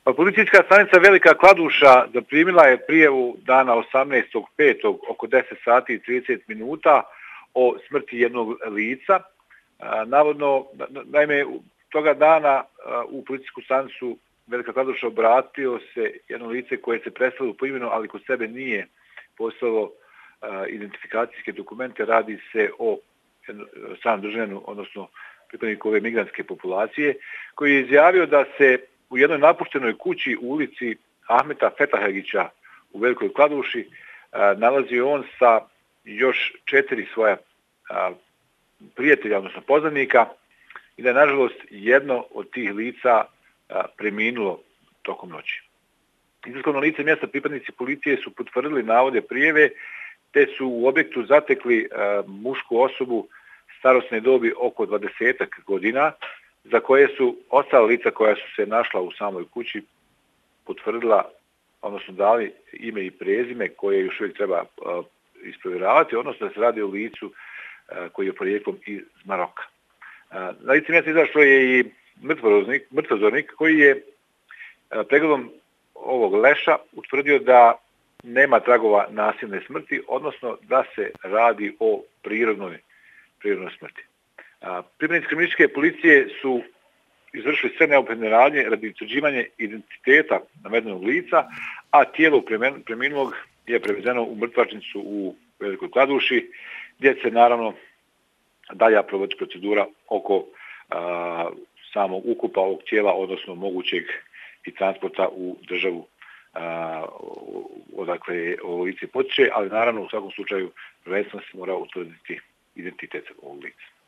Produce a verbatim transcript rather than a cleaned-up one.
Pa policijska stanica Velika Kladuša zaprimila je prijavu dana osamnaestog petog oko deset sati i trideset minuta o smrti jednog lica. Navodno, naime, toga dana u policijsku stanicu Velika Kladuša obratio se jedno lice koje se predstavilo po imenu, ali kod sebe nije poslalo identifikacijske dokumente. Radi se o stranom državljaninu, odnosno pripadniku ove migrantske populacije, koji je izjavio da se u jednoj napuštenoj kući u ulici Ahmeta Fetahagića u Velikoj Kladuši nalazi on sa još četiri svoja prijatelja, odnosno poznanika, i da je, nažalost, jedno od tih lica preminulo tokom noći. Izvršno lice mjesta pripadnici policije su potvrdili navode prijave, te su u objektu zatekli mušku osobu starosne dobi oko dvadesetak godina, za koje su ostala lica koja su se našla u samoj kući potvrdila, odnosno dali ime i prezime koje još uvijek treba isprovjeravati, odnosno da se radi o licu koji je porijeklom iz Maroka. Na lice mjesta izašlo je i mrtvozornik koji je pregledom ovog leša utvrdio da nema tragova nasilne smrti, odnosno da se radi o prirodnoj, prirodnoj smrti. Pripadnici kriminalističke policije su izvršili sve neophodne radnje radi utvrđivanja identiteta navedenog lica, a tijelo preminulog je prevezeno u mrtvačnicu u Velikoj Kladuši, gdje se naravno dalje provodi procedura oko a, samog ukupa ovog tijela, odnosno mogućeg i transporta u državu a, odakle ovo lice potiče, ali naravno u svakom slučaju prvenstveno se mora utvrditi identitet ovog lica.